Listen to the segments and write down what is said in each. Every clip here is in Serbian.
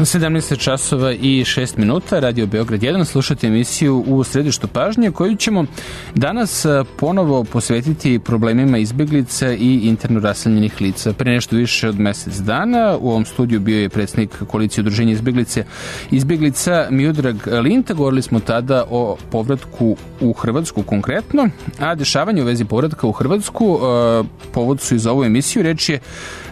17 časova i 6 minuta, Radio Beograd 1, slušate emisiju U središtu pažnje, koju ćemo danas ponovo posvetiti problemima izbeglica i interno raseljenih lica. Pre nešto više od mesec dana u ovom studiju bio je predsjednik koalicije udruženja izbeglica Miodrag Linta. Govorili smo tada o povratku u Hrvatsku konkretno, a dešavanje u vezi povratka u Hrvatsku povod su i za ovu emisiju. Reč je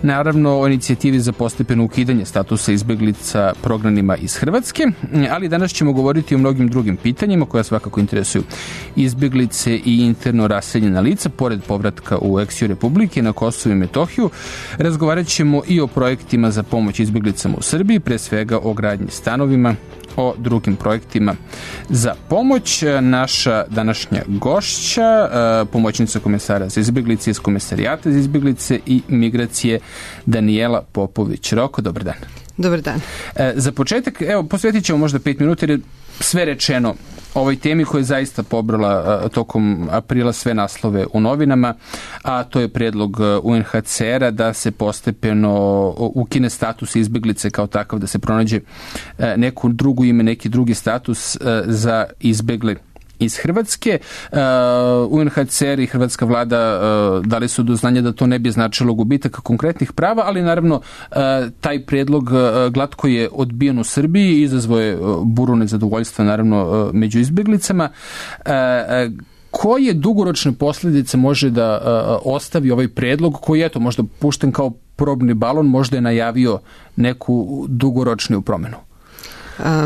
naravno o inicijativi za postepeno ukidanje statusa izbeglica prognanima iz Hrvatske, ali danas ćemo govoriti o mnogim drugim pitanjima koja svakako interesuju izbeglice i interno raseljena lica, pored povratka u eks Republike na Kosovo i Metohiju. Razgovarat ćemo i o projektima za pomoć izbeglicama u Srbiji, pre svega o gradnji stanovima, o drugim projektima za pomoć. Naša današnja gošća, pomoćnica komesara za izbeglice iz Komesarijata za izbeglice i migracije, Danijela Popović-Roko. Dobar dan. Dobar dan. Za početak, evo, posvetit ćemo možda 5 minuta jer je sve rečeno o ovoj temi koja je zaista pobrala tokom aprila sve naslove u novinama, a to je predlog UNHCR-a da se postepeno ukine status izbeglice kao takav, da se pronađe neko drugo ime, neki drugi status za izbegle iz Hrvatske. UNHCR i hrvatska vlada dali su do znanja da to ne bi značilo gubitak konkretnih prava, ali naravno taj predlog glatko je odbijen u Srbiji i izazvao je buru nezadovoljstva naravno među izbeglicama. Koje dugoročne posljedice može da ostavi ovaj predlog koji je možda pušten kao probni balon, možda je najavio neku dugoročniju promenu?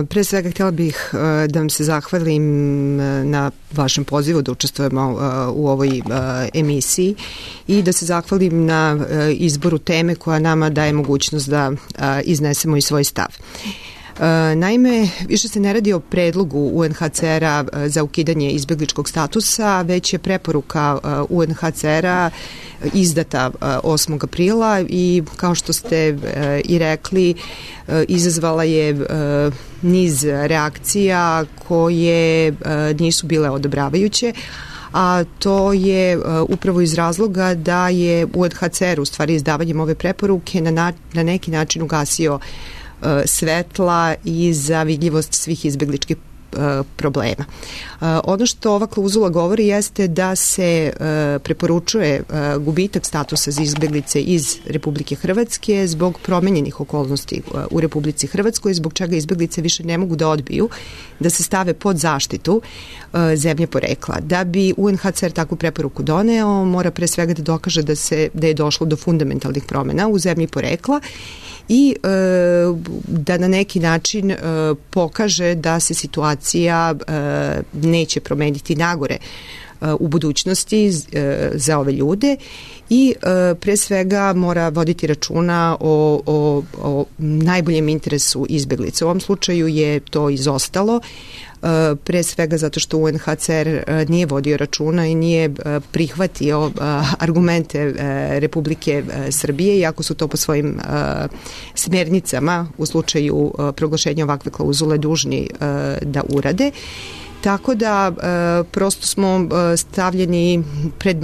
Pre svega htjela bih da vam se zahvalim na vašem pozivu da učestvujemo u ovoj emisiji i da se zahvalim na izboru teme koja nama daje mogućnost da iznesemo i svoj stav. Naime, više se ne radi o predlogu UNHCR-a za ukidanje izbegličkog statusa, već je preporuka UNHCR-a izdata 8. aprila i kao što ste i rekli, izazvala je niz reakcija koje nisu bile odobravajuće, a to je upravo iz razloga da je UNHCR u stvari izdavanjem ove preporuke na neki način ugasio svetla i za vidljivost svih izbegličkih problema. Ono što ova klauzula govori jeste da se preporučuje gubitak statusa za izbeglice iz Republike Hrvatske zbog promenjenih okolnosti u Republici Hrvatskoj, zbog čega izbeglice više ne mogu da odbiju da se stave pod zaštitu zemlje porekla. Da bi UNHCR takvu preporuku doneo, mora pre svega da dokaže da je došlo do fundamentalnih promjena u zemlji porekla i da na neki način pokaže da se situacija neće promeniti nagore u budućnosti za ove ljude i pre svega mora voditi računa o najboljem interesu izbeglica. U ovom slučaju je to izostalo, pre svega zato što UNHCR nije vodio računa i nije prihvatio argumente Republike Srbije, iako su to po svojim smjernicama u slučaju proglašenja ovakve klauzule dužni da urade. Tako da prosto smo stavljeni pred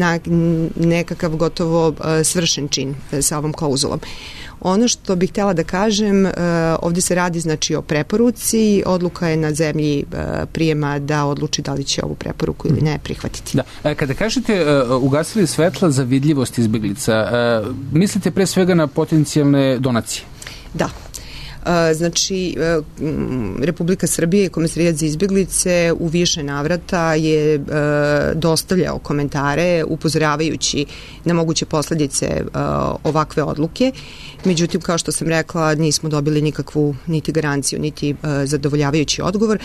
nekakav gotovo svršen čin sa ovom klauzulom. Ono što bih htjela da kažem, ovdje se radi znači o preporuci, odluka je na zemlji prijema da odluči da li će ovu preporuku ili ne prihvatiti. Da. Kada kažete ugasili svetla za vidljivost izbeglica, mislite pre svega na potencijalne donacije? Da. Znači, Republika Srbije i Komesarijat za izbeglice u više navrata je dostavljao komentare upozoravajući na moguće posljedice ovakve odluke. Međutim, kao što sam rekla, nismo dobili nikakvu niti garanciju, niti zadovoljavajući odgovor.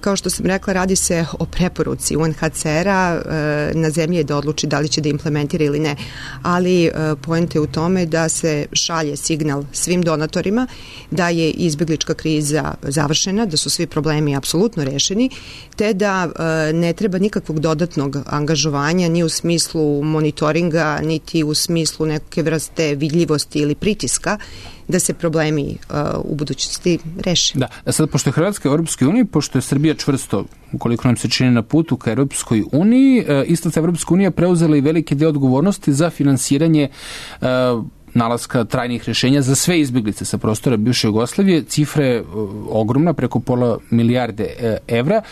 Kao što sam rekla, radi se o preporuci UNHCR-a, na zemlji je da odluči da li će da implementira ili ne, ali poenta je u tome da se šalje signal svim donatorima da je izbeglička kriza završena, da su svi problemi apsolutno rešeni, te da ne treba nikakvog dodatnog angažovanja ni u smislu monitoringa, niti u smislu neke vrste vidljivosti ili pritiska da se problemi u budućnosti reše. Da, a sad pošto je Hrvatska u Europskoj uniji, pošto je Srbija čvrsto, ukoliko nam se čini, na putu ka Europskoj uniji, isto ta Europska unija preuzela i veliki deo odgovornosti za finansiranje nalaska trajnih rješenja za sve izbjeglice sa prostora bivše Jugoslavije. Cifra je ogromna, preko pola milijarde evra.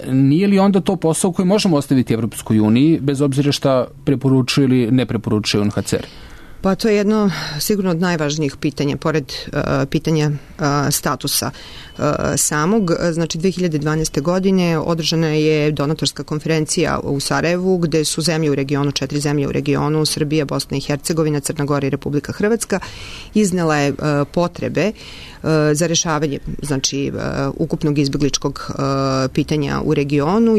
Nije li onda to posao koji možemo ostaviti Evropskoj uniji, bez obzira šta preporučuje ili ne preporučuje UNHCR? Pa to je jedno sigurno od najvažnijih pitanja, pored pitanja statusa samog. Znači 2012. godine održana je donatorska konferencija u Sarajevu, gde su zemlje u regionu, 4 zemlje u regionu, Srbija, Bosna i Hercegovina, Crna Gora i Republika Hrvatska, iznele potrebe za rešavanje, znači, ukupnog izbegličkog pitanja u regionu,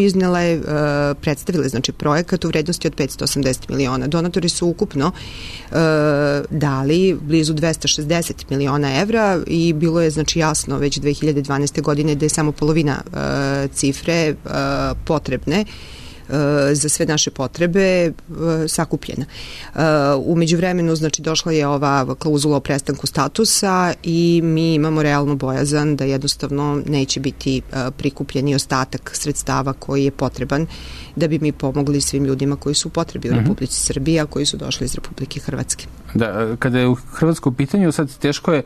predstavile, znači, projekat u vrednosti od 580 miliona. Donatori su ukupno dali blizu 260 miliona evra i bilo je, znači, jasno već 2012. godine da je samo polovina cifre potrebne za sve naše potrebe sakupljena. U međuvremenu, znači, došla je ova klauzula o prestanku statusa i mi imamo realnu bojazan da jednostavno neće biti prikupljeni ostatak sredstava koji je potreban da bi mi pomogli svim ljudima koji su u potrebi u Republici Srbiji, a koji su došli iz Republike Hrvatske. Da, kada je u Hrvatsko pitanju, sad teško je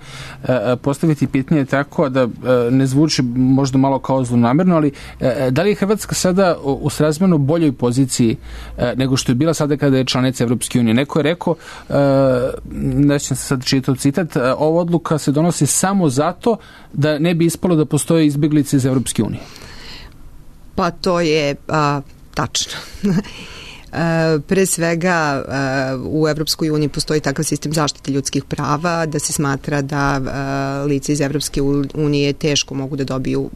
postaviti pitanje tako da ne zvuči možda malo kao zlonamerno, ali da li je Hrvatska sada u srazmjerno boljoj poziciji nego što je bila sada kada je članica Evropske unije? Neko je rekao, nećem se sad čitati citat, ova odluka se donosi samo zato da ne bi ispalo da postoje izbjeglice iz Evropske unije. Pa to je tačno. Pre svega u Evropskoj uniji postoji takav sistem zaštite ljudskih prava da se smatra da lice iz Evropske unije teško mogu da dobiju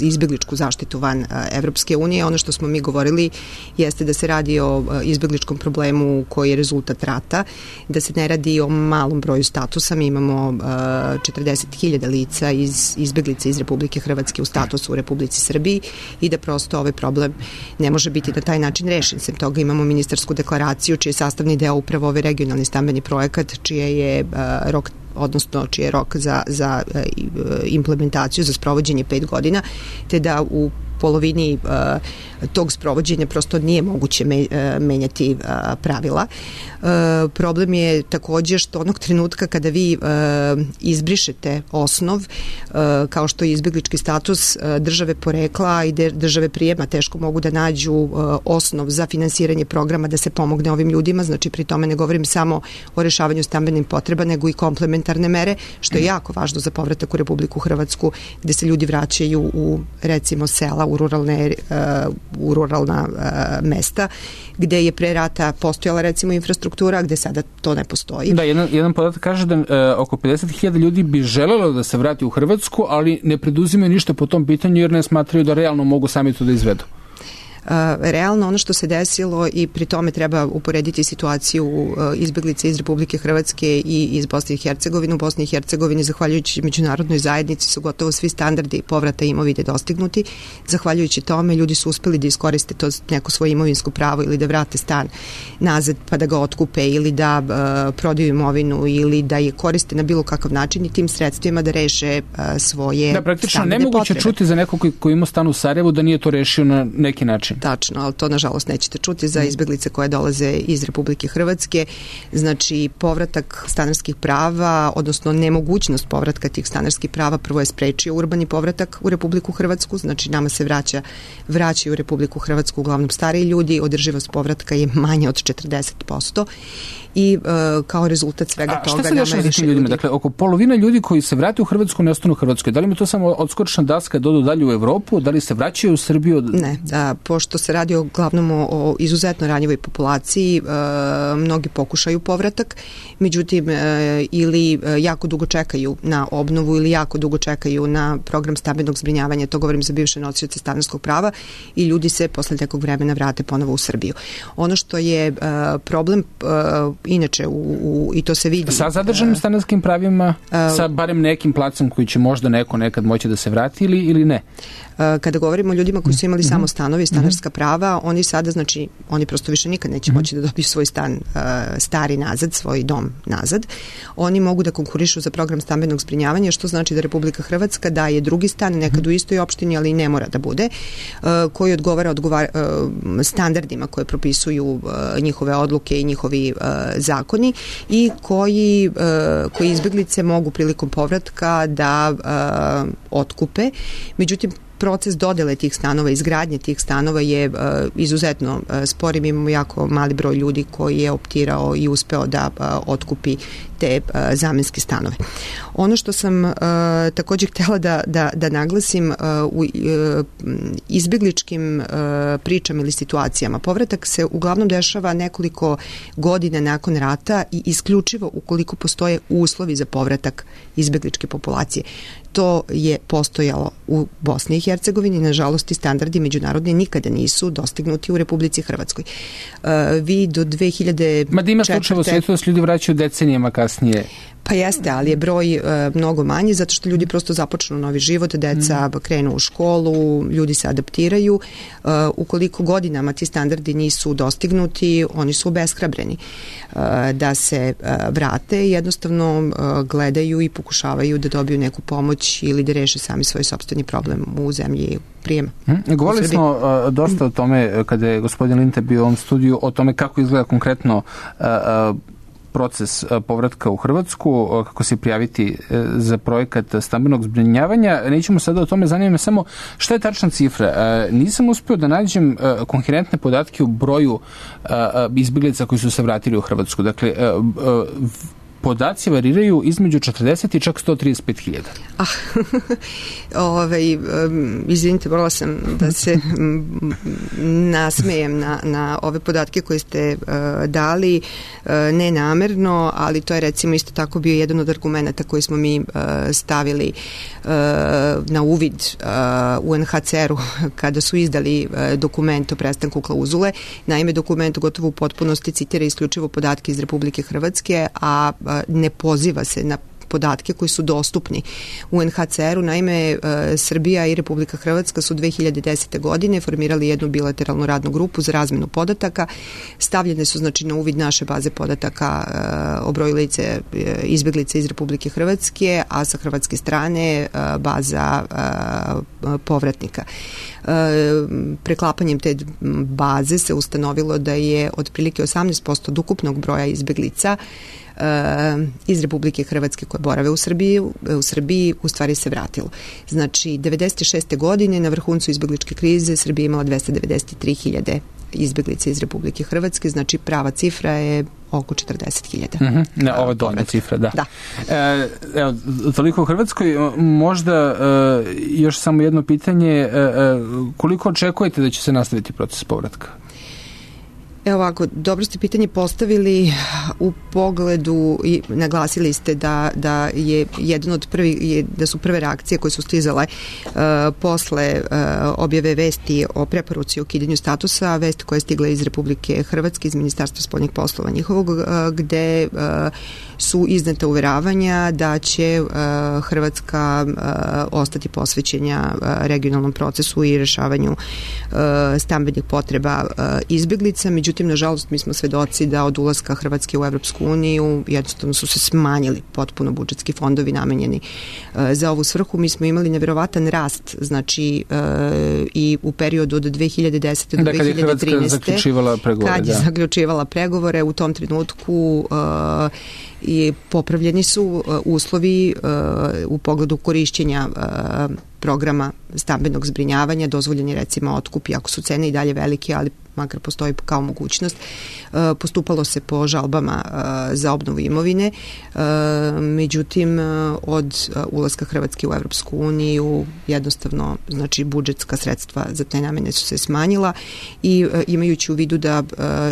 izbegličku zaštitu van Evropske unije. Ono što smo mi govorili jeste da se radi o izbegličkom problemu koji je rezultat rata, da se ne radi o malom broju statusa. Mi imamo 40.000 lica izbeglica iz Republike Hrvatske u statusu u Republici Srbiji i da prosto ovaj problem ne može biti na taj način rešen. Sem toga imamo ministarsku deklaraciju čiji je sastavni deo upravo ovaj regionalni stambeni projekat, čiji je rok za implementaciju, za sprovođenje 5 godina, te da u polovini tog sprovođenja prosto nije moguće menjati pravila. Problem je takođe što onog trenutka kada vi izbrišete osnov, kao što je izbeglički status, države porekla i države prijema teško mogu da nađu osnov za finansiranje programa da se pomogne ovim ljudima, znači pri tome ne govorim samo o rešavanju stambenih potreba, nego i komplementarne mere, što je jako važno za povratak u Republiku Hrvatsku, gde se ljudi vraćaju u, recimo, sela, u ruralna mesta, gde je pre rata postojala, recimo, infrastruktura, gde sada to ne postoji. Da, jedan podatak kaže da oko 50.000 ljudi bi želelo da se vrati u Hrvatsku, ali ne preduzimaju ništa po tom pitanju jer ne smatraju da realno mogu sami to da izvedu. Realno ono što se desilo i pri tome treba uporediti situaciju izbeglica iz Republike Hrvatske i iz Bosne i Hercegovine. U Bosni i Hercegovini, zahvaljujući međunarodnoj zajednici, su gotovo svi standardi povrata imovine dostignuti. Zahvaljujući tome ljudi su uspeli da iskoriste to neko svoje imovinsko pravo ili da vrate stan nazad pa da ga otkupe ili da prodaju imovinu ili da je koriste na bilo kakav način i tim sredstvima da reše svoje da, praktično nemoguće čuti za nekog koji ima stan u Sarajevu da nije to rešio na neki način. Tačno, ali to nažalost nećete čuti za izbeglice koje dolaze iz Republike Hrvatske. Znači, povratak stanarskih prava, odnosno nemogućnost povratka tih stanarskih prava, prvo je sprečio urbani povratak u Republiku Hrvatsku, znači nama se vraćaju u Republiku Hrvatsku uglavnom stariji ljudi, održivost povratka je manja od 40% i kao rezultat svega toga... A šta se dešava sa tim ljudima? Dakle, oko polovina ljudi koji se vrate u Hrvatsku ne ostanu u Hrvatskoj. Da li mi to samo odskočna daska dodu dalje u Evropu? Da li se vraćaju u Srbiju? Ne, pošto se radi uglavnom o izuzetno ranjivoj populaciji, mnogi pokušaju povratak, međutim ili jako dugo čekaju na obnovu ili jako dugo čekaju na program stambenog zbrinjavanja, to govorim za bivše nosioce stanarskog prava, i ljudi se posle nekog vremena vrate ponovo u Srbiju. Ono što je problem inače i to se vidi sa zadržanim stanarskim pravima, sa barem nekim placem koji će možda neko nekad moći da se vrati ili ne? Kada govorimo o ljudima koji su imali samo stanovi, stanarski stanarska prava, oni sada, znači, oni prosto više nikad neće moći da dobiju svoj stan stari nazad, svoj dom nazad. Oni mogu da konkurišu za program stambenog zbrinjavanja, što znači da Republika Hrvatska daje drugi stan, nekad u istoj opštini, ali ne mora da bude, koji odgovara standardima koje propisuju njihove odluke i njihovi zakoni i koji izbeglice mogu prilikom povratka da otkupe. Međutim, proces dodele tih stanova, izgradnje tih stanova je izuzetno spor. Imamo jako mali broj ljudi koji je optirao i uspeo da otkupi te zamenske stanove. Ono što sam također htjela da naglasim u izbegličkim pričama ili situacijama, povratak se uglavnom dešava nekoliko godina nakon rata i isključivo ukoliko postoje uslovi za povratak izbegličke populacije. To je postojalo u Bosni i Hercegovini, nažalost i standardi međunarodni nikada nisu dostignuti u Republici Hrvatskoj. Vi do 2004. Ma da ima slučajeva u svijetu da se ljudi vraćaju decenijama kasnije. Pa jeste, ali je broj mnogo manji zato što ljudi prosto započnu novi život, deca krenu u školu, ljudi se adaptiraju. Ukoliko godinama ti standardi nisu dostignuti, oni su obeshrabreni da se vrate i jednostavno gledaju i pokušavaju da dobiju neku pomoć ili da reše sami svoj sopstveni problem u zemlji prijema. Govorili smo dosta o tome kada je gospodin Linta bio u ovom studiju, o tome kako izgleda konkretno proces povratka u Hrvatsku, kako se prijaviti za projekat stambenog zbrinjavanja. Nećemo sada o tome, zanima me samo šta je tačna cifra. Nisam uspio da nađem koherentne podatke u broju izbjeglica koji su se vratili u Hrvatsku. Dakle, podaci variraju između 40 i čak 135.000. Izvinite, morala sam da se nasmejem na ove podatke koje ste dali, ne namerno, ali to je recimo isto tako bio jedan od argumenta koji smo mi stavili na uvid UNHCR-u kada su izdali dokument o prestanku klauzule. Naime, dokument gotovo u potpunosti citira isključivo podatke iz Republike Hrvatske, a ne poziva se na podatke koji su dostupni UNHCR-u. Naime, Srbija i Republika Hrvatska su 2010. godine formirali jednu bilateralnu radnu grupu za razmenu podataka. Stavljene su znači na uvid naše baze podataka o broju lice izbjeglica iz Republike Hrvatske, a sa hrvatske strane baza povratnika. Preklapanjem te baze se ustanovilo da je otprilike 18% od ukupnog broja izbjeglica iz Republike Hrvatske koje borave u Srbiji u stvari se vratilo. Znači, 96. godine na vrhuncu izbjegličke krize Srbija imala 293.000 izbjeglica iz Republike Hrvatske, znači prava cifra je oko 40.000. Ovo je donja cifra, da. Evo, toliko u Hrvatskoj. Možda još samo jedno pitanje. Koliko očekujete da će se nastaviti proces povratka? Evo ovako, dobro ste pitanje postavili u pogledu i naglasili ste da je jedan od prvih, da su prve reakcije koje su stizale posle objave vesti o preporuci o ukidanju statusa, vesti koja je stigla iz Republike Hrvatske, iz Ministarstva spoljnih poslova njihovog, gde su izneta uveravanja da će Hrvatska ostati posvećena regionalnom procesu i rešavanju stambenih potreba izbjeglica. Međutim, nažalost, mi smo svedoci da od ulaska Hrvatske u Evropsku uniju jednostavno su se smanjili potpuno budžetski fondovi namenjeni za ovu svrhu. Mi smo imali nevjerovatan rast, znači i u periodu od 2010. do 2013. Kad je Hrvatska zaključivala pregovore. Kad je zaključivala pregovore, u tom trenutku i popravljeni su uslovi u pogledu korišćenja programa stambenog zbrinjavanja, dozvoljen je recimo otkup, iako su cene i dalje velike, ali makar postoji kao mogućnost. Postupalo se po žalbama za obnovu imovine, međutim od ulaska Hrvatske u Evropsku uniju jednostavno, znači budžetska sredstva za te namene su se smanjila i imajući u vidu da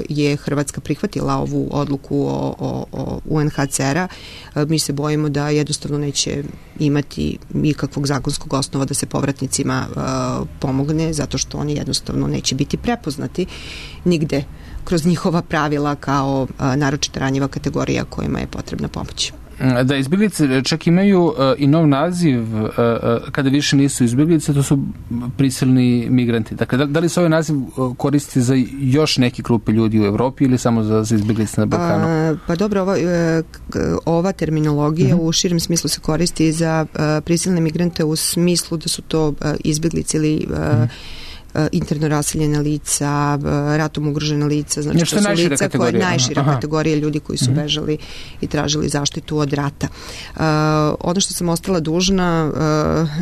je Hrvatska prihvatila ovu odluku o UNHCR-a, mi se bojimo da jednostavno neće imati nikakvog zakonskog osnova da se povratnicima pomogne, zato što oni jednostavno neće biti prepoznati nigde kroz njihova pravila kao naročito ranjiva kategorija kojima je potrebna pomoć. da izbjeglice čak imaju i nov naziv kada više nisu izbjeglice, to su prisilni migranti. Dakle, da li se ovaj naziv koristi za još neke grupe ljudi u Evropi ili samo za izbjeglice na Balkanu? Pa dobro, ova terminologija u širem smislu se koristi za prisilne migrante u smislu da su to izbjeglice ili interno raseljena lica, ratom ugrožena lica, znači nešto to su lica koja je najšira kategorija ljudi koji su bežali i tražili zaštitu od rata. Ono što sam ostala dužna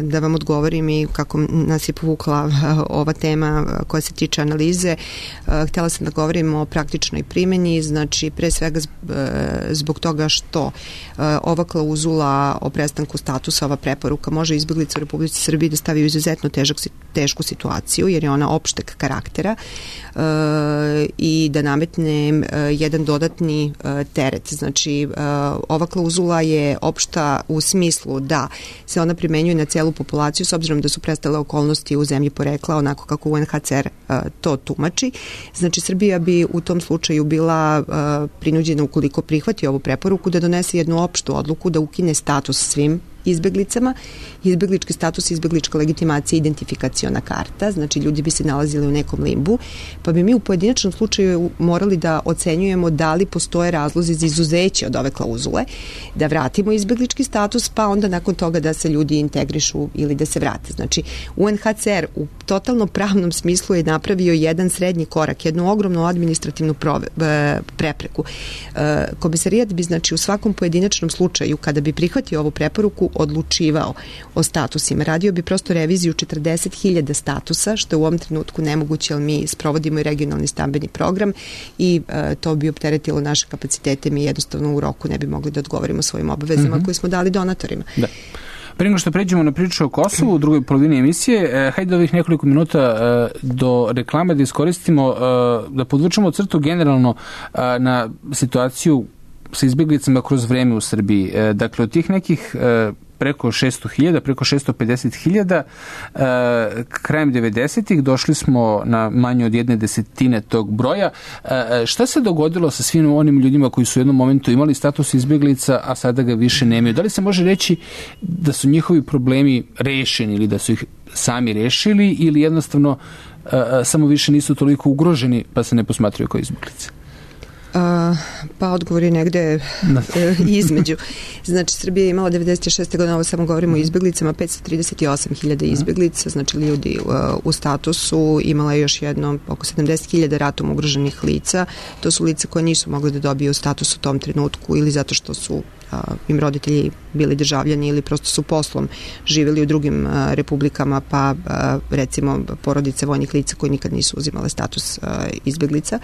da vam odgovorim i kako nas je povukla ova tema koja se tiče analize, htjela sam da govorim o praktičnoj primjeni, znači pre svega zbog toga što ova klauzula o prestanku statusa, ova preporuka može izbjeglica u Republici Srbiji da stavi u izuzetno tešku situaciju, jer je ona opšteg karaktera i da nametne jedan dodatni teret. Znači, ova klauzula je opšta u smislu da se ona primenjuje na celu populaciju s obzirom da su prestale okolnosti u zemlji porekla onako kako UNHCR to tumači. Znači, Srbija bi u tom slučaju bila prinuđena, ukoliko prihvati ovu preporuku, da donese jednu opštu odluku da ukine status svim izbeglicama. Izbeglički status, izbeglička legitimacija, identifikaciona karta, znači ljudi bi se nalazili u nekom limbu, pa bi mi u pojedinačnom slučaju morali da ocenjujemo da li postoje razlozi za izuzeće od ove klauzule, da vratimo izbeglički status, pa onda nakon toga da se ljudi integrišu ili da se vrate. Znači, UNHCR u totalno pravnom smislu je napravio jedan srednji korak, jednu ogromnu administrativnu prepreku. Komesarijat bi, znači, u svakom pojedinačnom slučaju, kada bi prihvatio ovu preporuku, odlučivao o statusima. Radio bi prosto reviziju 40.000 statusa, što je u ovom trenutku nemoguće, jer mi sprovodimo i regionalni stambeni program i to bi opteretilo naše kapacitete. Mi jednostavno u roku ne bi mogli da odgovorimo svojim obavezama koje smo dali donatorima. Da. Prije nego što pređemo na priču o Kosovu u drugoj polovini emisije, hajde ovih nekoliko minuta do reklame da iskoristimo, da podvučemo crtu generalno na situaciju sa izbjeglicama kroz vreme u Srbiji. Dakle, od tih nekih preko 600.000, preko 650.000, krajem 90-ih došli smo na manje od 1/10 tog broja. Šta se dogodilo sa svim onim ljudima koji su u jednom momentu imali status izbjeglica, a sada ga više nemaju? Da li se može reći da su njihovi problemi rešeni ili da su ih sami rešili ili jednostavno samo više nisu toliko ugroženi pa se ne posmatraju kao izbjeglice? Pa odgovor je negde između. Znači, Srbija je imala 96. godine, ovo samo govorimo o izbjeglicama, 538.000 izbjeglica, znači ljudi u statusu, imala je još jedno oko 70.000 ratom ugroženih lica. To su lica koje nisu mogli da dobiju status u tom trenutku ili zato što su im roditelji bili državljani ili prosto su poslom živjeli u drugim republikama, pa recimo porodice vojnih lica koji nikad nisu uzimale status izbjeglica,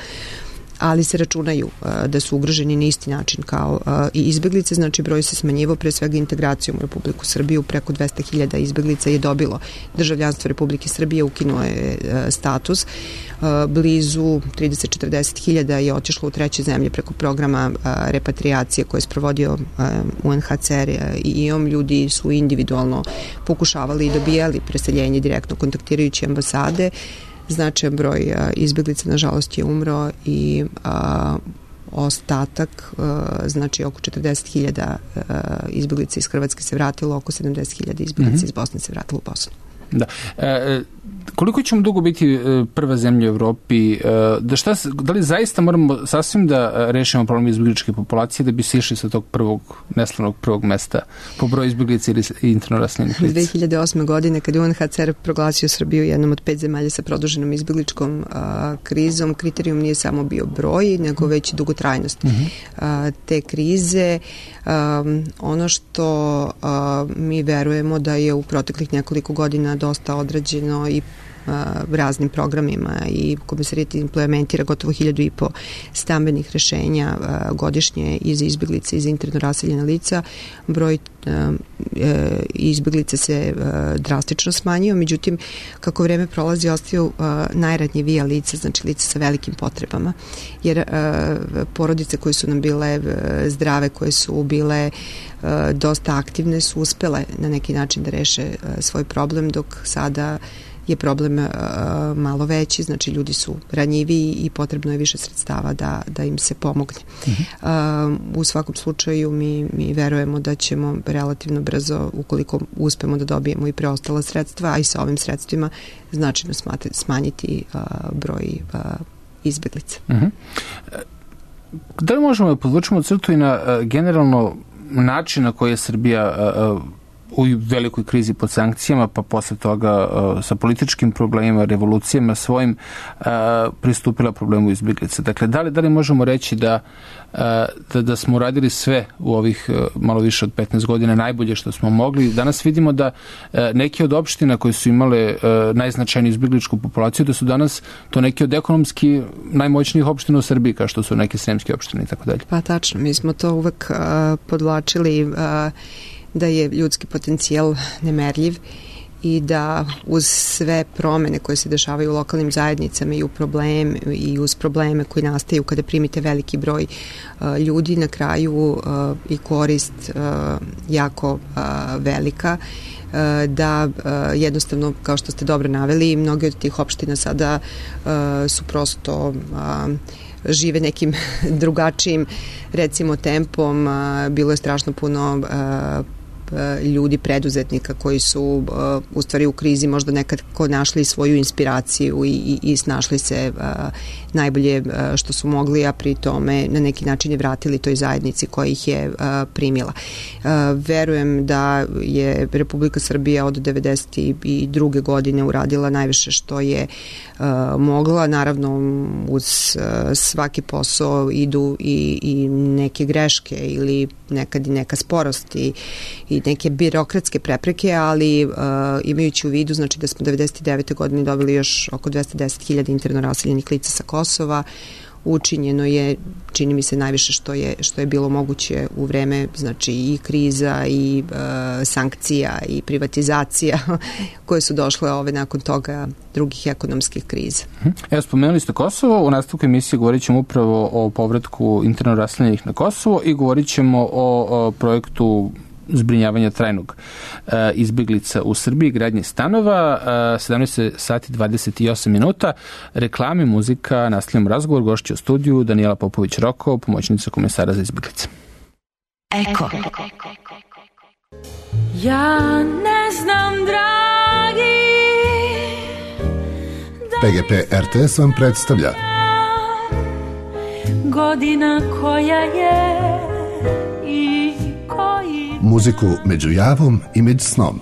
ali se računaju da su ugroženi na isti način kao i izbjeglice, znači broj se smanjivao pre svega integracijom u Republiku Srbiju, preko 200.000 izbjeglica je dobilo državljanstvo Republike Srbije, ukinuo je status, blizu 30-40.000 je otišlo u treće zemlje preko programa repatriacije koje je sprovodio UNHCR i IOM. Ljudi su individualno pokušavali i dobijali preseljenje direktno kontaktirajući ambasade. Značajan broj izbjeglica nažalost je umro i ostatak, znači oko 40.000 izbjeglica iz Hrvatske se vratilo, oko 70.000 izbjeglica iz Bosne se vratilo u Bosnu. Da. Koliko ćemo dugo biti prva zemlja u Evropi? Da li zaista moramo sasvim da rešimo problem izbjegličke populacije da bi se išli sa tog neslavnog prvog mesta po broju izbjeglica ili interno raseljenih lica? 2008. godine, kad je UNHCR proglasio Srbiju jednom od 5 zemalja sa produženom izbjegličkom krizom, kriterijum nije samo bio broj, nego već dugotrajnost te krize. Ono što mi verujemo da je u proteklih nekoliko godina dosta odrađeno i raznim programima i Komesarijat implementira gotovo 1.500 stambenih rešenja godišnje i za izbjeglice i za interno raseljena lica. Broj izbjeglica se drastično smanjio, međutim kako vreme prolazi ostaju najranjivija lica, znači lica sa velikim potrebama, jer porodice koje su nam bile zdrave, koje su bile dosta aktivne su uspele na neki način da reše svoj problem, dok sada je problem malo veći, znači ljudi su ranjiviji i potrebno je više sredstava da im se pomogne. U svakom slučaju mi verujemo da ćemo relativno brzo, ukoliko uspemo da dobijemo i preostala sredstva, a i sa ovim sredstvima značajno smanjiti broj izbeglica. Da li možemo da podvučemo crtu i na generalno način na koji je Srbija u velikoj krizi pod sankcijama, pa posle toga sa političkim problemima, revolucijama svojim pristupila problemu izbjeglica. Dakle, da li možemo reći da smo uradili sve u ovih malo više od 15 godina najbolje što smo mogli? Danas vidimo da neke od opština koje su imale najznačajniju izbjegličku populaciju, da su danas to neke od ekonomski najmoćnijih opština u Srbiji, kao što su neke sremske opštine i tako dalje. Pa tačno, mi smo to uvek podvlačili da je ljudski potencijal nemerljiv i da uz sve promene koje se dešavaju u lokalnim zajednicama i uz probleme koji nastaju kada primite veliki broj ljudi, na kraju i korist jako velika, da jednostavno, kao što ste dobro naveli, mnoge od tih opština sada su prosto žive nekim drugačijim, recimo, tempom. Bilo je strašno puno ljudi, preduzetnika koji su u stvari u krizi možda nekad našli svoju inspiraciju i snašli se najbolje što su mogli, a pri tome na neki način je vratili toj zajednici koja ih je primila. Verujem da je Republika Srbija od 1992. godine uradila najviše što je mogla. Naravno, uz svaki posao idu i neke greške ili nekad i neka sporost i neke birokratske prepreke, ali imajući u vidu, znači da smo 1999. godine dobili još oko 210.000 interno raseljenih lica sa Kosova, učinjeno je, čini mi se, najviše što je bilo moguće u vreme, znači i kriza i sankcija i privatizacija koje su došle nakon toga drugih ekonomskih kriza. Evo, spomenuli ste Kosovo, u nastavku emisije govorit ćemo upravo o povratku interno raseljenih na Kosovo i govorit ćemo o projektu zbrinjavanja trajnog izbjeglica u Srbiji, gradnje stanova. 17 sati 28 minuta, reklame, muzika, nastavljamo razgovor. Gošća u studiju Danijela Popović-Roko, pomoćnica komesara za izbjeglice. Eko. Ja ne znam, dragi, PGP RTS vam predstavlja godina koja je i koji muziku među javom i među snom.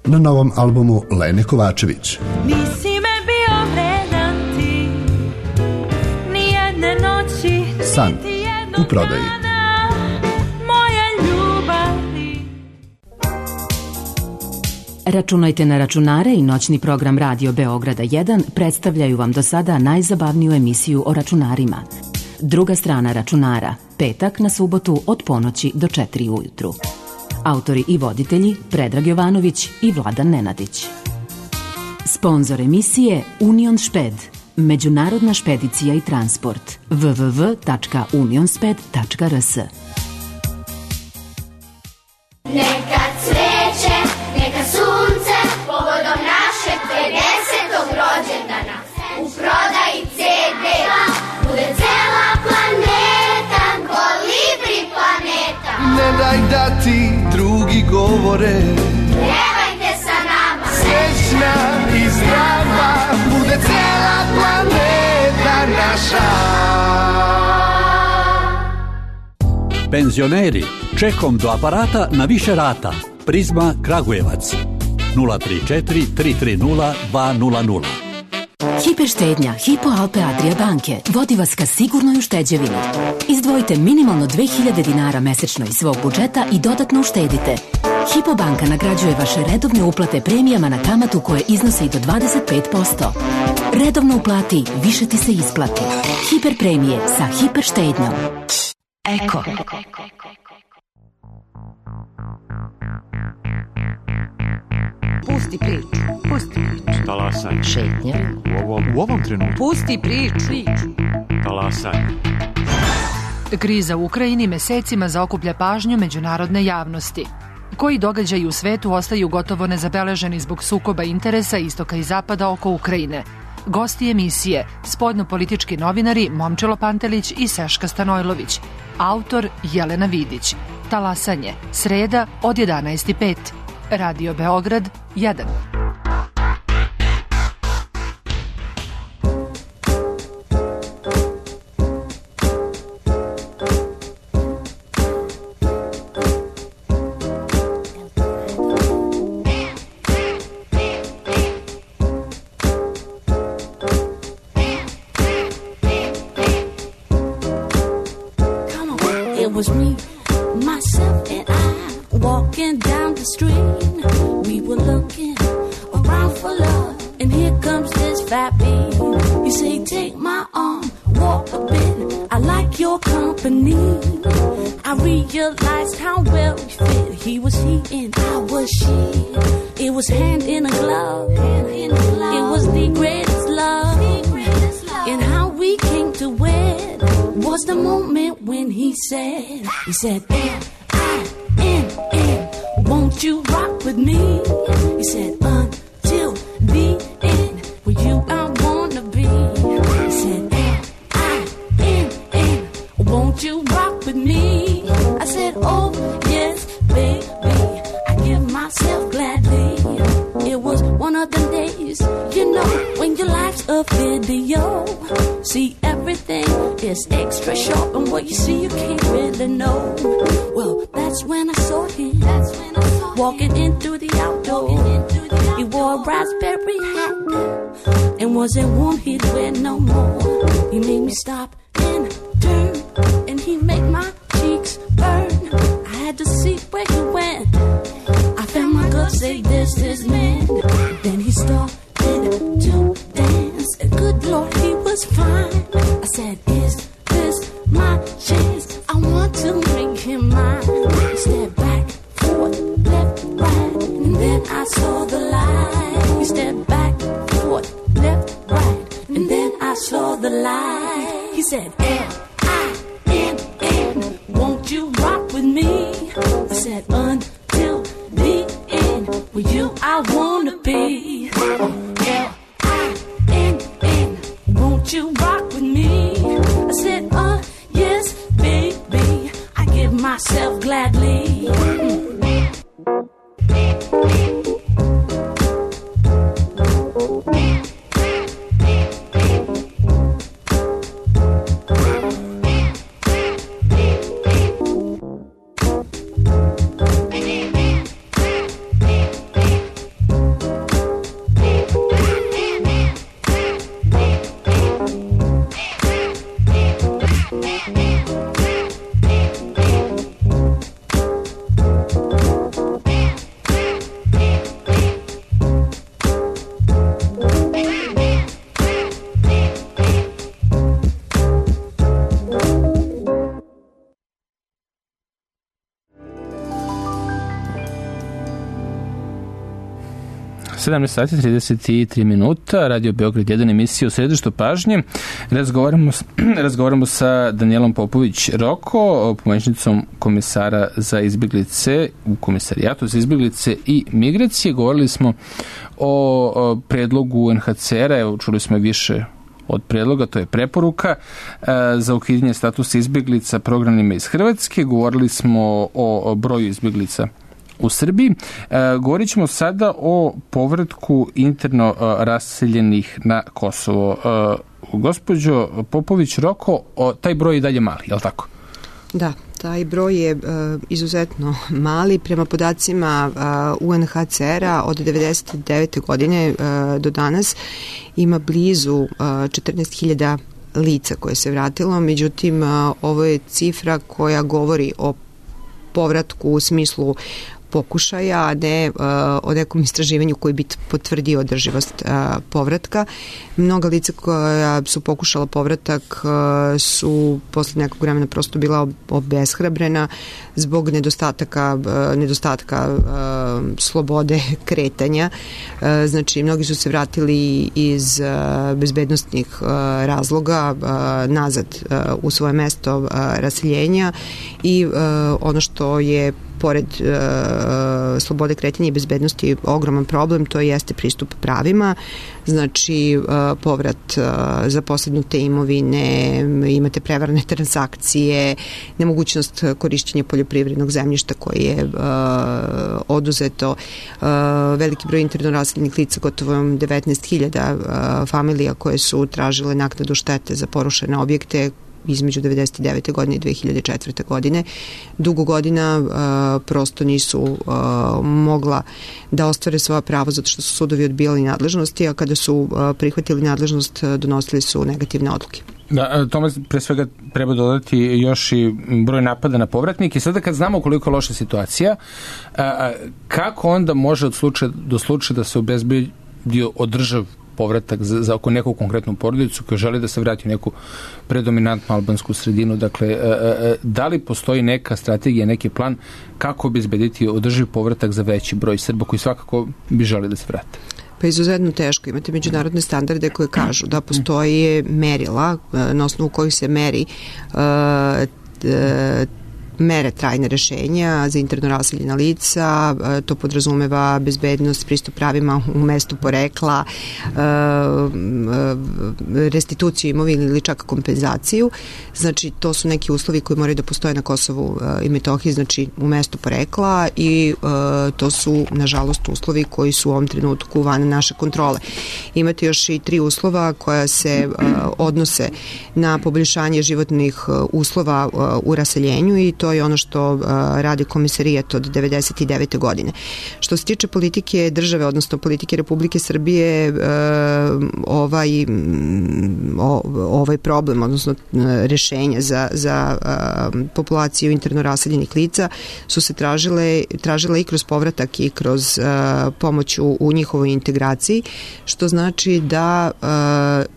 Na novom albumu Lene Kovačević. Nisi me bio vredan ti, nijedne noći, San u prodaji. Moje ljubavi. Računajte na računare i noćni program Radio Beograda 1 predstavljaju vam do sada najzabavniju emisiju o računarima. Druga strana računara, petak na subotu od ponoći do 4 ujutru. Autori i voditelji Predrag Jovanović i Vladan Nenadić. Sponzor emisije Union Šped, međunarodna špedicija i transport. www.unionsped.rs. Neka cveće, neka sunce, povodom našeg 50. rođendana. U prodaji CD, bude cela planeta, kolibri planeta. Ne daj da ti drugi govore, Pevajte sa nama, srećna i zdrava, bude cela planeta naša. Penzioneri, čekom do aparata na više rata. Prizma Kragujevac 034 330 200. Hiperštednja Hypo Alpe Adria banke vodi vas ka sigurnoj ušteđevini. Izdvojite minimalno 2000 dinara mesečno iz svog budžeta i dodatno uštedite. Hypo banka nagrađuje vaše redovne uplate premijama na kamatu koje iznose i do 25%. Redovno uplati, više ti se isplati. Hiper premije sa hiperštednjom. Eko. Pusti priču. Talasaj. Šetnja. U ovom trenutku. Pusti priču. Talasaj. Kriza u Ukrajini mesecima zaokuplja pažnju međunarodne javnosti. Koji događaji u svetu ostaju gotovo nezabeleženi zbog sukoba interesa istoka i zapada oko Ukrajine? Gosti emisije, spoljnopolitički novinari Momčilo Pantelić i Seška Stanojlović. Autor Jelena Vidić. Talasanje, sreda od 11:05. Radio Beograd 1. It was me, myself and I, walking down the street. We were looking around for love, and here comes this fat beat. He say, take my arm, walk a bit, I like your company. I realized how well we fit. He was he and I was she. It was hand in a glove, it was the greatest love. And how we came to wed was the moment when he said, N-I-N-N, won't you rock with me? He said, until the end, with you I wanna be. He said, N-I-N-N, won't you rock with me? I said, oh yes, baby, I give myself gladly. It was one of the days, you know, when your life's a video. See, everything is extra sharp, and what you see you can't really know. Well, that's when I saw him, walking in through the outdoor. He wore a raspberry hat, and wasn't warm, he'd wear no more. He made me stop and turn, and he made my cheeks burn. I had to see where he went. I found my gut say this is man. Then he started to dance. Good Lord, he was fine. I said, is this my chance? I want to make him mine. He stepped back, forth, left, right, and then I saw the light. He stepped back, forth, left, right, and then I saw the light. He said, L-I-N-N, won't you rock with me? I said, until the end, with you I wanna be. L-I-N-N, won't you rock with me? I said, yes, baby, I give myself gladly. sati 33 minuta, Radio Beograd 1, emisija u središtu pažnje. Razgovaramo sa Danijelom Popović-Roko, pomoćnicom komisara za izbjeglice u Komisarijatu za izbjeglice i migracije. Govorili smo o predlogu UNHCR-a, evo čuli smo više od predloga, to je preporuka za ukidanje statusa izbjeglica programima iz Hrvatske. Govorili smo o broju izbjeglica u Srbiji. Govorit ćemo sada o povratku interno raseljenih na Kosovo. Gospođo Popović-Roko, taj broj je dalje mali, je li tako? Da, taj broj je izuzetno mali. Prema podacima UNHCR-a od 1999. godine do danas ima blizu 14.000 lica koje se vratilo. Međutim, ovo je cifra koja govori o povratku u smislu pokušaja, a ne o nekom istraživanju koji bi potvrdio održivost povratka. Mnoga lica koja su pokušala povratak su posle nekog vremena prosto bila obeshrabrena zbog nedostatka slobode kretanja. Znači, mnogi su se vratili iz bezbednostnih razloga nazad u svoje mesto raseljenja i ono što je pored slobode kretanja i bezbednosti ogroman problem, to jeste pristup pravima, znači povrat zaposednute imovine, imate prevarne transakcije, nemogućnost korišćenja poljoprivrednog zemljišta koje je oduzeto, veliki broj interno raseljenih lica, gotovo 19.000 familija koje su tražile naknadu štete za porušene objekte između 1999. godine i 2004. godine. Dugo godina prosto nisu mogla da ostvare svoja prava zato što su sudovi odbijali nadležnosti, a kada su prihvatili nadležnost donosili su negativne odluke. Da, tome pre svega treba dodati još i broj napada na povratnike. Sada kad znamo koliko je loša situacija, kako onda može od slučaja do slučaja da se obezbedi održav povratak za oko neku konkretnu porodicu koja želi da se vrati u neku predominantnu albansku sredinu. Dakle, da li postoji neka strategija, neki plan kako obezbediti održiv povratak za veći broj Srba koji svakako bi želi da se vrate? Pa izuzetno teško. Imate međunarodne standarde koje kažu da postoji merila na osnovu kojih se mere trajne rešenja za interno raseljena lica, to podrazumeva bezbednost, pristup pravima u mestu porekla, restituciju imovine ili čak kompenzaciju. Znači, to su neki uslovi koji moraju da postoje na Kosovu i Metohiji, znači u mestu porekla i to su, nažalost, uslovi koji su u ovom trenutku van naše kontrole. Imate još i 3 uslova koja se odnose na poboljšanje životnih uslova u raseljenju i to je ono što radi komisarijat od 1999. godine. Što se tiče politike države, odnosno politike Republike Srbije, ovaj problem, odnosno rešenja za populaciju interno raseljenih lica su se tražile i kroz povratak i kroz pomoć u njihovoj integraciji, što znači da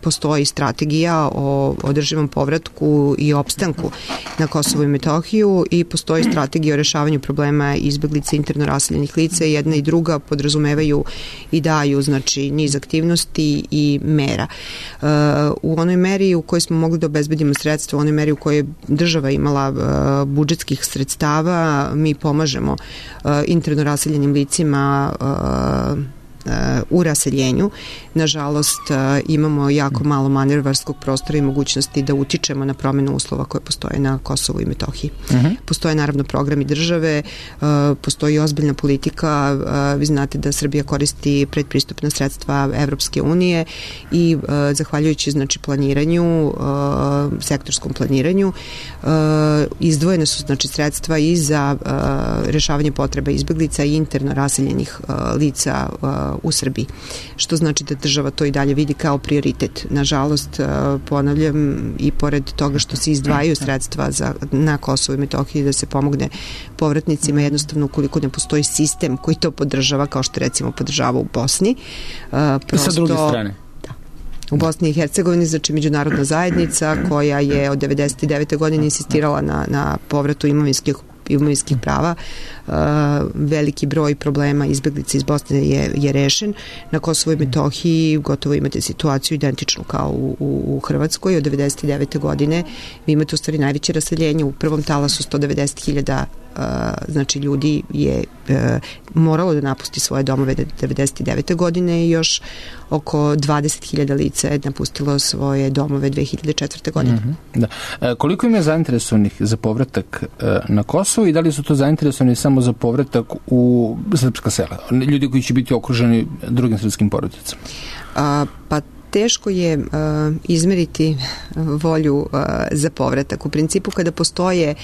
postoji strategija o održivom povratku i opstanku na Kosovu i Metohiju i postoji strategija o rešavanju problema izbeglica interno raseljenih lica. Jedna i druga podrazumevaju i daju, znači, niz aktivnosti i mera. U onoj meri u kojoj smo mogli da obezbedimo sredstva, u onoj meri u kojoj je država imala budžetskih sredstava, mi pomažemo interno raseljenim licima u raseljenju. Nažalost, imamo jako malo manevarskog prostora i mogućnosti da utičemo na promenu uslova koje postoje na Kosovu i Metohiji. Postoje naravno programi države, postoji ozbiljna politika, vi znate da Srbija koristi predpristupna sredstva Evropske unije i zahvaljujući, znači, planiranju, sektorskom planiranju, izdvojene su, znači, sredstva i za rešavanje potreba izbeglica i interno raseljenih lica u Srbiji. Što znači da država to i dalje vidi kao prioritet. Nažalost, ponavljam, i pored toga što se izdvajaju sredstva na Kosovo i Metohiji da se pomogne povratnicima, jednostavno ukoliko ne postoji sistem koji to podržava, kao što recimo podržava u Bosni. I sa druge strane? U Bosni i Hercegovini, znači međunarodna zajednica koja je od 1999. godine insistirala na povratu imovinskih prava. Veliki broj problema izbeglica iz Bosne je rešen. Na Kosovu i Metohiji gotovo imate situaciju identičnu kao u Hrvatskoj. Od 1999. godine vi imate u stvari najveće raseljenje. U prvom talasu 190.000 znači ljudi je moralo da napusti svoje domove 1999. godine i još oko 20.000 lica je napustilo svoje domove 2004. godine. Da. Koliko im je zainteresovanih za povratak na Kosovo i da li su to zainteresovani samo za povratak u srpska sela? Ljudi koji će biti okruženi drugim srpskim porodicama? Pa teško je izmeriti volju za povratak. U principu, kada postoje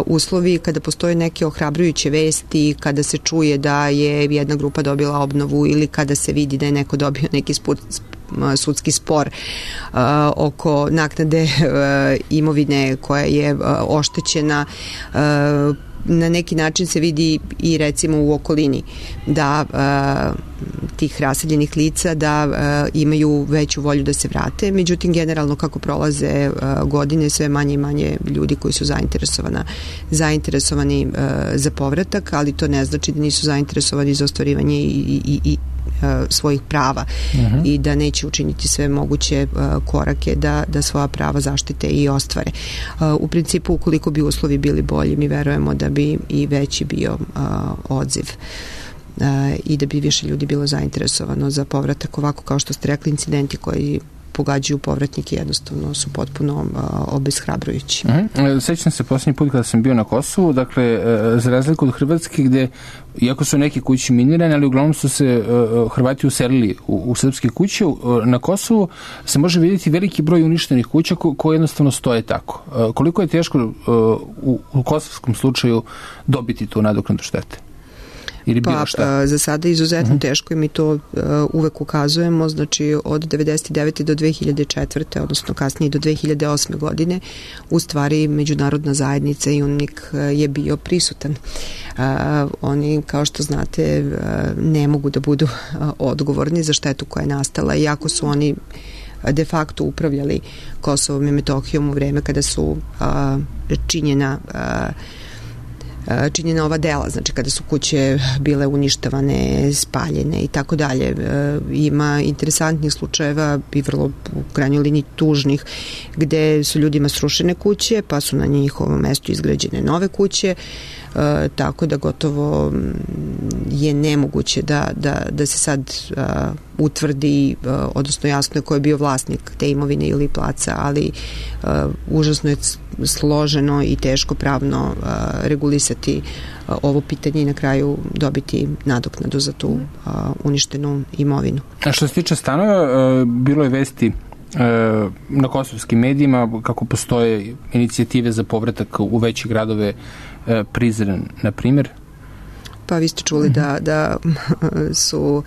uslovi, kada postoje neke ohrabrujuće vesti, kada se čuje da je jedna grupa dobila obnovu ili kada se vidi da je neko dobio neki sudski spor oko naknade imovine koja je oštećena, na neki način se vidi i recimo u okolini da tih raseljenih lica da imaju veću volju da se vrate, međutim generalno kako prolaze godine sve manje i manje ljudi koji su zainteresovani za povratak, ali to ne znači da nisu zainteresovani za ostvarivanje i svojih prava i da neće učiniti sve moguće korake da svoja prava zaštite i ostvare. U principu, ukoliko bi uslovi bili bolji, mi verujemo da bi i veći bio odziv i da bi više ljudi bilo zainteresovano za povratak. Ovako, kao što ste rekli, incidenti koji pogađaju povratnike jednostavno su potpuno obeshrabrujući. Sećam se posljednji put kada sam bio na Kosovu, dakle, za razliku od Hrvatske, gde, iako su neke kuće minirane, ali uglavnom su se Hrvati uselili u srpske kuće, na Kosovu se može vidjeti veliki broj uništenih kuća koje jednostavno stoje tako. Koliko je teško u kosovskom slučaju dobiti tu nadoknadu štete? Za sada izuzetno teško i mi to uvek ukazujemo, znači od 99. do 2004. odnosno kasnije do 2008. godine u stvari međunarodna zajednica i UNMIK je bio prisutan. Oni, kao što znate, ne mogu da budu odgovorni za štetu koja je nastala, iako su oni de facto upravljali Kosovom i Metohijom u vreme kada su činjena ova dela, znači kada su kuće bile uništavane, spaljene i tako dalje. Ima interesantnih slučajeva i vrlo u krajnjoj liniji tužnih, gde su ljudima srušene kuće, pa su na njihovom mestu izgrađene nove kuće, tako da gotovo je nemoguće da se sad utvrdi, odnosno jasno je ko je bio vlasnik te imovine ili placa, ali užasno je složeno i teško pravno regulisati ovo pitanje i na kraju dobiti nadoknadu za tu uništenu imovinu. A što se tiče stanova, bilo je vesti na kosovskim medijima kako postoje inicijative za povratak u veće gradove, Prizren, na primjer? Pa vi ste čuli da su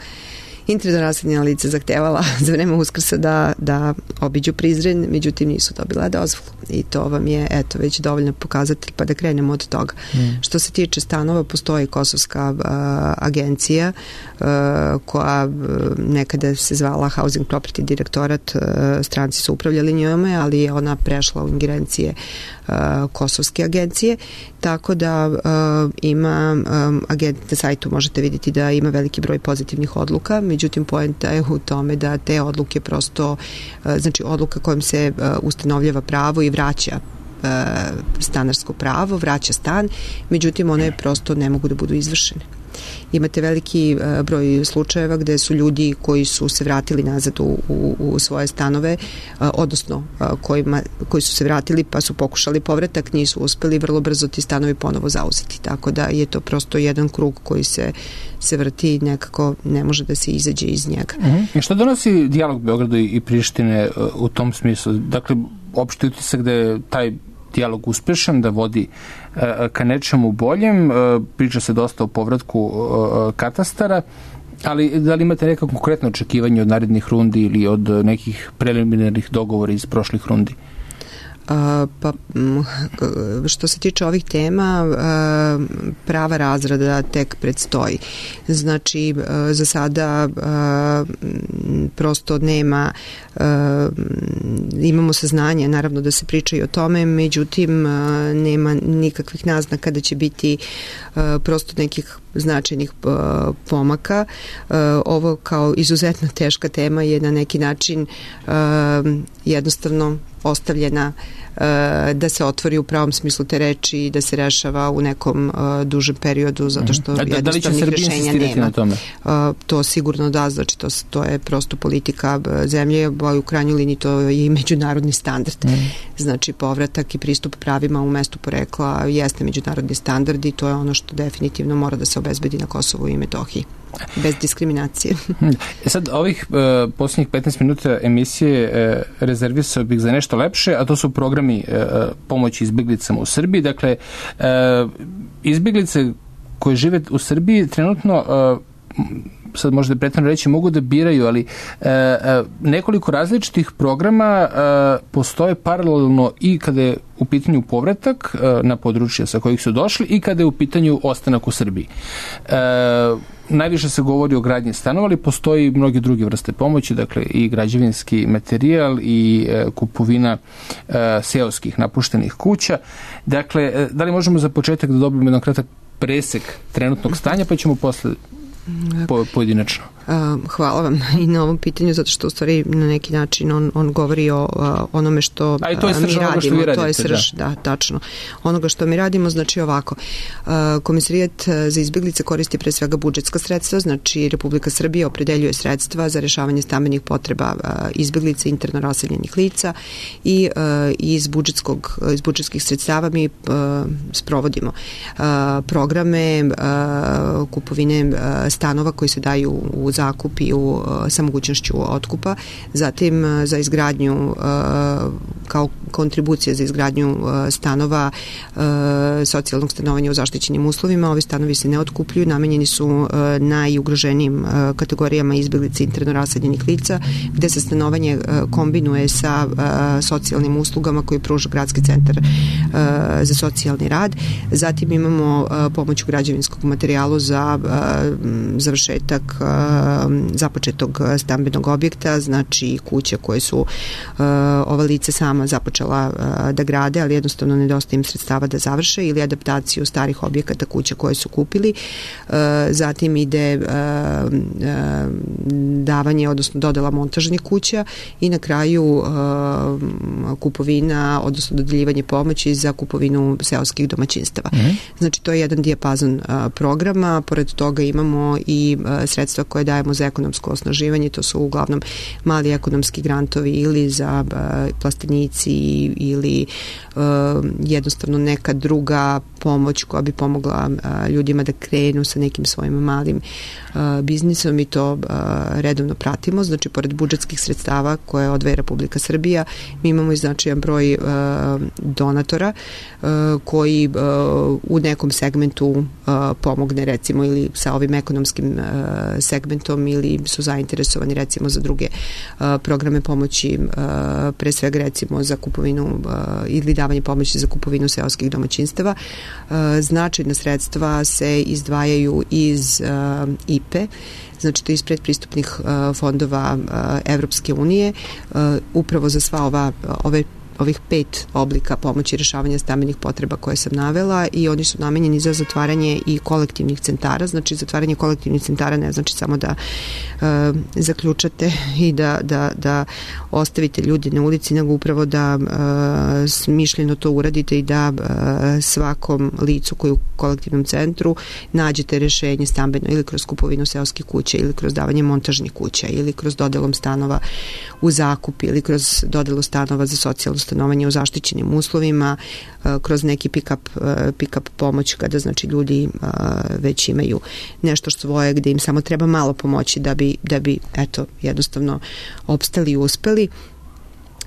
interno raseljena lica zahtevala za vreme Uskrsa da obiđu Prizren, međutim nisu dobila dozvolu. I to vam je već dovoljno pokazatelj, pa da krenemo od toga. Što se tiče stanova, postoji kosovska agencija koja nekada se zvala Housing Property Direktorat, stranci su upravljali njome, ali je ona prešla u ingerencije kosovske agencije, tako da ima na sajtu možete vidjeti da ima veliki broj pozitivnih odluka, međutim poenta je u tome da te odluke prosto, znači odluka kojom se ustanovljava pravo i vraća stanarsko pravo, vraća stan, međutim one prosto ne mogu da budu izvršene. Imate veliki broj slučajeva gde su ljudi koji su se vratili nazad u svoje stanove, odnosno koji su se vratili pa su pokušali povratak, nisu uspeli, vrlo brzo ti stanovi ponovo zauzeti. Tako da je to prosto jedan krug koji se vrti i nekako ne može da se izađe iz njega. I što donosi dijalog Beograda i Prištine u tom smislu? Dakle, opšti utisak da je taj dijalog uspešan, da vodi ka nečemu boljem, priča se dosta o povratku katastara, ali da li imate neka konkretno očekivanje od narednih rundi ili od nekih preliminarnih dogovora iz prošlih rundi? Pa što se tiče ovih tema, prava razrada tek predstoji. Znači, za sada prosto nema, imamo saznanje, naravno da se priča i o tome, međutim nema nikakvih naznaka da će biti prosto nekih značajnih pomaka. Ovo kao izuzetno teška tema je na neki način jednostavno ostavljena da se otvori u pravom smislu te reči i da se rešava u nekom dužem periodu, zato što jednostavnih rešenja nema. To sigurno da, znači to je prosto politika zemlje, a u krajnjoj liniji to je i međunarodni standard. Znači povratak i pristup pravima u mestu porekla jeste međunarodni standard i to je ono što definitivno mora da se obezbedi na Kosovu i Metohiji. Bez diskriminacije. Sad, ovih posljednjih 15 minuta emisije rezervisao bih za nešto lepše, a to su programi pomoći izbjeglicama u Srbiji. Dakle, izbjeglice koje žive u Srbiji trenutno sad možda je pretjerano reći, mogu da biraju, ali nekoliko različitih programa postoje paralelno i kada je u pitanju povratak na područja sa kojih su došli i kada je u pitanju ostanak u Srbiji. Najviše se govori o gradnji stanova, ali postoji mnoge druge vrste pomoći, dakle i građevinski materijal i kupovina seoskih napuštenih kuća. Dakle, da li možemo za početak da dobijemo jedan kratak presek trenutnog stanja, pa ćemo posle pojedinačno. Hvala vam i na ovom pitanju, zato što u stvari na neki način on govori o onome što mi radimo. To je srž, da, tačno. Onoga što mi radimo, znači ovako. Komisarijat za izbjeglice koristi pre svega budžetska sredstva, znači Republika Srbija opredeljuje sredstva za rešavanje stambenih potreba izbjeglica, interno raseljenih lica i iz budžetskih sredstava mi sprovodimo programe kupovine stanova koji se daju u zakup i sa mogućnošću otkupa, zatim za izgradnju kao kontribucija za izgradnju stanova socijalnog stanovanja u zaštićenim uslovima. Ovi stanovi se ne otkupljuju, namenjeni su najugroženijim kategorijama izbjeglica interno raseljenih lica, gde se stanovanje kombinuje sa socijalnim uslugama koji pruža Gradski centar za socijalni rad. Zatim imamo pomoć u građevinskom materijalu za završetak započetog stambenog objekta, znači kuće koje su ova lice sama započela da grade, ali jednostavno nedostaje im sredstava da završe, ili adaptaciju starih objekata kuća koje su kupili. Zatim ide davanje, odnosno dodela montažnih kuća i na kraju kupovina, odnosno dodeljivanje pomoći za kupovinu seoskih domaćinstava. Znači to je jedan dijapazon programa. Pored toga imamo i sredstva koje dajemo za ekonomsko osnaživanje, to su uglavnom mali ekonomski grantovi ili za plastenici ili jednostavno neka druga pomoć koja bi pomogla ljudima da krenu sa nekim svojim malim biznisom i to redovno pratimo. Znači, pored budžetskih sredstava koje odvaja Republika Srbija, mi imamo i značajan broj donatora koji u nekom segmentu pomogne, recimo, ili sa ovim ekonomskim segmentom, ili su zainteresovani recimo za druge programe pomoći, pre svega recimo za kupovinu ili davanje pomoći za kupovinu seoskih domaćinstava. Značajna sredstva se izdvajaju iz IPE, znači to je iz predpristupnih fondova Evropske unije, upravo za sva ovih 5 oblika pomoći rešavanja stambenih potreba koje sam navela, i oni su namenjeni za zatvaranje i kolektivnih centara. Znači, zatvaranje kolektivnih centara ne znači samo da zaključate i da ostavite ljudi na ulici, nego upravo da smišljeno to uradite i da svakom licu koji je u kolektivnom centru nađete rešenje stambeno, ili kroz kupovinu seoskih kuća, ili kroz davanje montažnih kuća, ili kroz dodelom stanova u zakup, ili kroz dodelu stanova za socijalno stanovanje u zaštićenim uslovima, kroz neki pick-up pomoć, kada znači ljudi već imaju nešto svoje gde im samo treba malo pomoći da bi eto, jednostavno opstali i uspeli.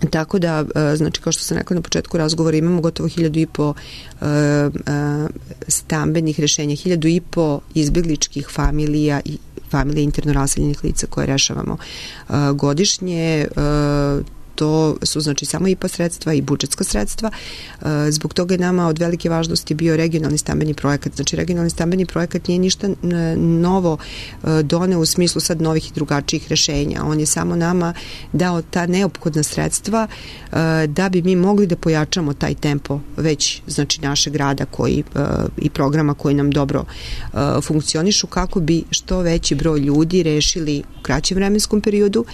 Tako da, znači, kao što sam rekla na početku razgovora, imamo gotovo 1.500 stambenih rešenja, 1.500 izbegličkih familija i familije interno raseljenih lica koje rešavamo godišnje. To su znači samo IPA sredstva i budžetska sredstva. Zbog toga je nama od velike važnosti bio regionalni stambeni projekat. Znači, regionalni stambeni projekat nije ništa novo doneo u smislu sad novih i drugačijih rešenja. On je samo nama dao ta neophodna sredstva da bi mi mogli da pojačamo taj tempo već, znači, našeg rada i programa koji nam dobro funkcionišu, kako bi što veći broj ljudi rešili u kraćem vremenskom periodu,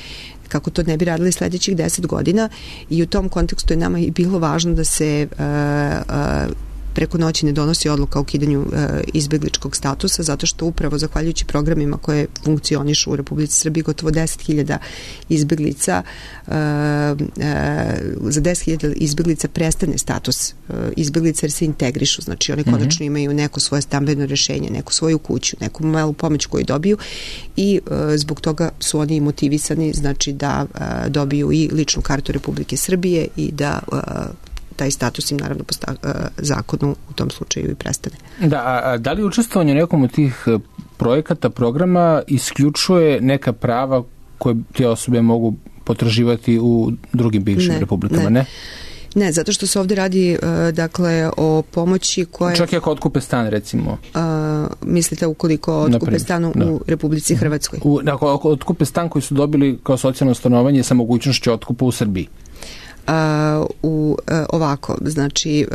kako to ne bi radili sledećih 10 godina, i u tom kontekstu je nama i bilo važno da se preko noći ne donosi odluka o ukidanju izbegličkog statusa, zato što upravo zahvaljujući programima koje funkcionišu u Republici Srbiji, gotovo 10.000 izbeglica, za 10.000 izbeglica prestane status izbeglica jer se integrišu, znači oni konačno imaju neko svoje stambeno rešenje, neku svoju kuću, neku malu pomoć koju dobiju, i zbog toga su oni motivisani, znači, da dobiju i ličnu kartu Republike Srbije i da taj status im naravno po zakonu u tom slučaju i prestane. Da li učestvovanje u nekom od tih projekata, programa isključuje neka prava koje te osobe mogu potraživati u drugim bivšim republikama, ne? Ne, zato što se ovde radi dakle o pomoći koje... Čak i ako otkupe stan, recimo. Mislite ukoliko otkupe stan u Republici Hrvatskoj? Ako otkupe stan koji su dobili kao socijalno stanovanje sa mogućnošću otkupa u Srbiji. Ovako, znači